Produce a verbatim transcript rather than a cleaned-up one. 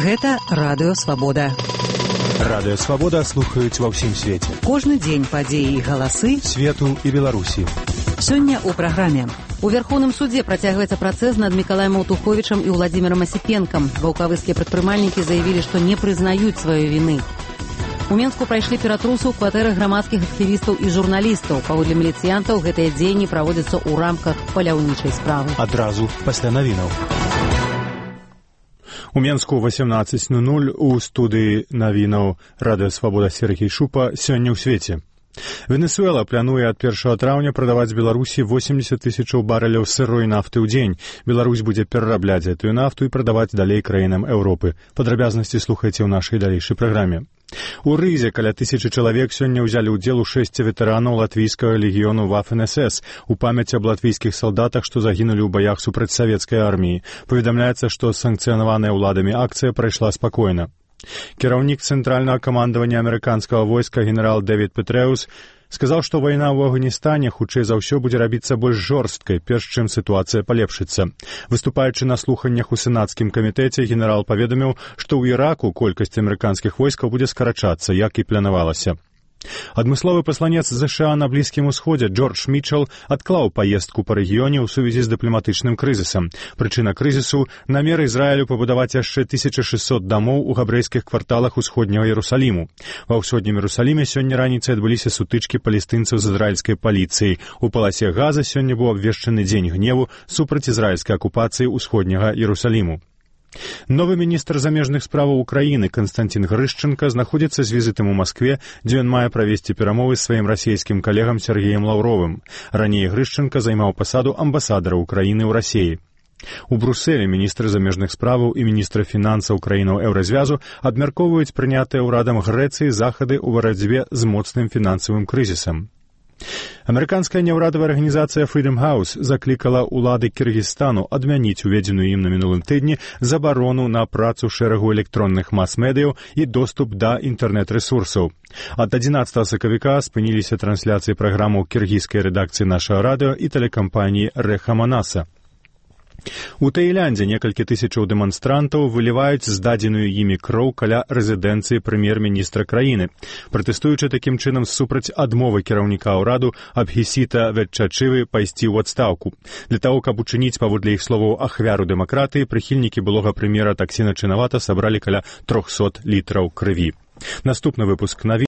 Гэта Радыё Свабода. Радыё Свабода слухаюць ва ўсім свеце. Кожны дзень падзеі і галасы свету і Беларусі. Сёння ў праграме. У Верховным судзе працягваецца працэс над Мікалаем Аўтуховічам і Владзімірам Асіпенкам. Ваўкавыскія прадпрымальнікі заявілі, што не прызнаюць сваёй віны. У Менску прайшлі ператрусы ў кватэрах грамадскіх актывістаў і журналістаў. Паводле міліцыянтаў, гэтыя дзеянні праводзяцца ў рамках паляўнічай справы. Адразу пасля навінаў. У Менску восемнадцать ноль ноль у студыі навінаў Радыё Свабода Сергей Шупа сёння ў свеце. Венесуэла плануе ад першага траўня прадаваць Беларусі восемьдесят тысячаў барэляў сырой нафты ў дзень. Беларусь будзе перарабляць гэтую нафту і прадаваць далей краінам Еўропы. Падрабязнасці слухайце ў нашай далейшай праграме. У Рызе каля тысячы чалавек сёння ўзялі ўдзел у шэсці ветэранаў латвійскага легіёну Вафен-эс эс у памяць аб латвійскіх салдатах, што загінулі ў баях супраць савецкай арміі. Паведамляецца, што санкцыянаваная ўладамі акцыя прайшла спакойна. Кіраўнік цэнтральнага камандавання амерыканскага войска генерал Дэвід Петрэус сказаў, што вайна ў Афганістане хутчэй за ўсё будзе рабіцца больш жорсткай, перш чым сітуацыя палепшыцца. Выступаючы на слуханнях у сенацкім камітэце, генерал паведаміў, што ў Іраку колькасць амерыканскіх войскаў будзе скарачацца, як і планавалася. Адмысловы пасланец ЗША на Блізкім Усходзе Джордж Мітчел адклаў паездку па рэгіёне ў сувязі з дыпламатычным крызісам. Прычына крызісу – намер Ізраілю пабудаваць яшчэ тысяча шэсцьсот дамоў у габрэйскіх кварталах усходняга Іерусаліму. Ва ўсходнім Іерусаліме сёння раніцай адбыліся сутычкі палестынцаў з ізраільскай паліцыяй. У паласе Газа сёння быў абвешчаны дзень гневу супраць ізраільскай акупацыі ўсходняга Іерусаліму. Новы міністр замежных справаў Украіны Канстантин Грышченка знаходзіцца з візітам у Маскве, дзе ён мае правесці перамовы з сваім расійскім калегам Сергеем Лаўровым. Раней Грышченка займаў пасаду амбасадара Украіны ў Расіі. У Брусэлі міністр замежных справаў і міністр фінансаў краінаў Еўразвязу абмяркоўваюць прынятыя ўрадам Грэцыі захады ў барацьбе з моцным фінансавым крызісам. Амерыканская няўрадавая арганізацыя Freedom House заклікала ўлады Кіргізстану адмяніць уведзеную ім на мінулым тыдні забарону на працу шэрагу электронных мас-медыяў і доступ да інтэрнэт-рэсурсаў. Ад адзінаццатага сакавіка спыніліся трансляцыі праграмаў кіргізскай рэдакцыі нашага радыё і тэлекампаніі Рэха Манаса. У Таіландзе некалькі тысячаў дэманстрантаў выліваюць здадзеную імі кроў каля рэзідэнцыі прэм'ер-міністра краіны, пратэстуючы такім чынам супраць адмовы кіраўніка ўраду Абхісіта Ветчачывы пайсці ў адстаўку. Для таго, каб учыніць, паводле іх словаў, ахвяру дэмакратыі, прыхільнікі былога прэм'ера Таксіна Чынавата сабралі каля трохсот літраў крыві. Наступны выпуск навін.